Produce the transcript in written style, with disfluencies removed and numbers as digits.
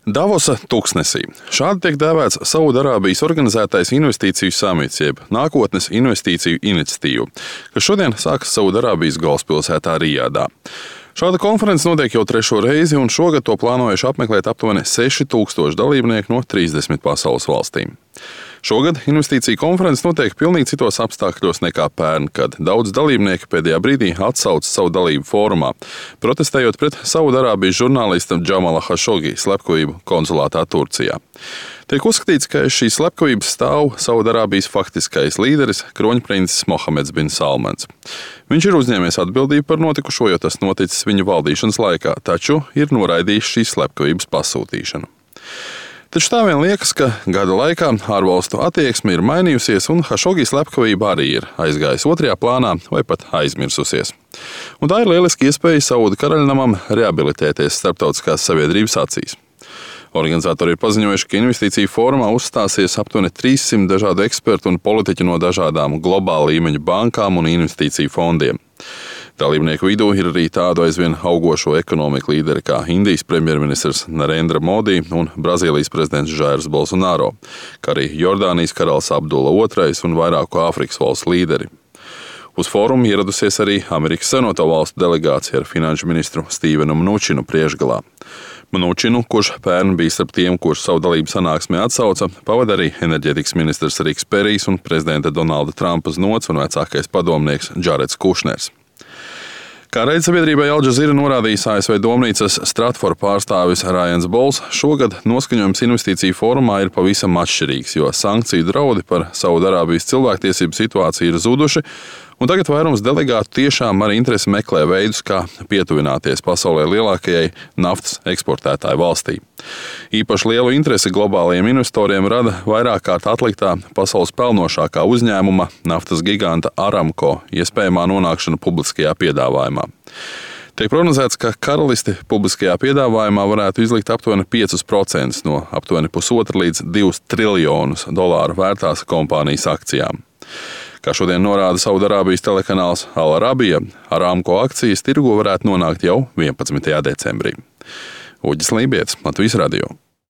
Davosa tuksnesī. Šādi tiek dēvēts Saudarābijas organizētais investīciju samits, jeb nākotnes investīciju iniciatīva, kas šodien sākas Saudarābijas galvaspilsētā Rijadā. Šāda konference notiek jau 3. reizi, un šogad to plānojuši apmeklēt aptuveni 6000 dalībnieku no 30 pasaules valstīm. Šogad investīcija konference notiek pilnīgi citos apstākļos nekā pērn, kad daudz dalībnieki pēdējā brīdī atsauca savu dalību fórumā, protestējot pret Saudarābijas žurnālista Džamala Hašogi slepkavību konsulātā Turcijā. Tiek uzskatīts, ka šīs slepkavības stāv Saudarābijas faktiskais līderis, kroņprincis Mohameds bin Salmans. Viņš ir uzņēmies atbildību par notikušo, jo tas noticis viņa valdīšanas laikā, taču ir noraidījis šīs slepkavības pasūtīšanu. Taču tā vien liekas, ka gada laikā ārvalstu attieksme ir mainījusies, un Hašogi slepkavība arī ir aizgājusi otrajā plānā vai pat aizmirsusies. Un tā ir lieliski iespēja Saudu karaļnamam rehabilitēties starptautiskās sabiedrības acīs. Organizatori ir paziņojuši, ka investīciju fórumā uzstāsies aptuveni 300 dažādu ekspertu un politiķu no dažādām globāla līmeņa bankām un investīciju fondiem. Dalībnieku vidū ir arī tādu aizvien augošo ekonomiku līderi kā Indijas premjerministrs Narendra Modi un Brazīlijas prezidents Jairs Bolsonaro, kā arī Jordānijas karalis Abdulla II un vairāku Āfrikas valstu līderi. Uz fórumu ieradusies arī Amerikas Savienoto Valstu delegācija ar finanšu ministru Stīvenu Mnučinu priekšgalā. Mnučinu, kurš pērn bija starp tiem, kurš savu dalību sanāksmē atsauca, pavada arī enerģētikas ministrs Riks Perijs un prezidenta Donalda Trumpa znots un vecākais padomnieks Džareds Kušners. Kā raidsabiedrībai Al Jazeera norādījis ASV domnīcas Stratford pārstāvis Ryans Bols, šogad noskaņojums investīciju fórumā ir pavisam atšķirīgs, jo sankciju draudi par Saudarābijas cilvēktiesību situāciju ir zuduši, un tagad vairums delegātu tiešām ar interesi meklē veidus, kā pietuvināties pasaulē lielākajai naftas eksportētāju valstī. Īpaši lielu interesi globālajiem investoriem rada vairāk kārt atliktā pasaules pelnošākā uzņēmuma naftas giganta Aramco iespējamā nonākšana publiskajā piedāvājumā. Tiek prognozēts, ka karalisti publiskajā piedāvājumā varētu izlikt aptuveni 5% no aptuveni 1,5 līdz 2 triljonus dolāru vērtās kompānijas akcijām. Kā šodien norāda Saudarābijas telekanāls Al Arabija, Aramco akcijas tirgu varētu nonākt jau 11. decembrī. Uģis Lībietis, Latvijas radio.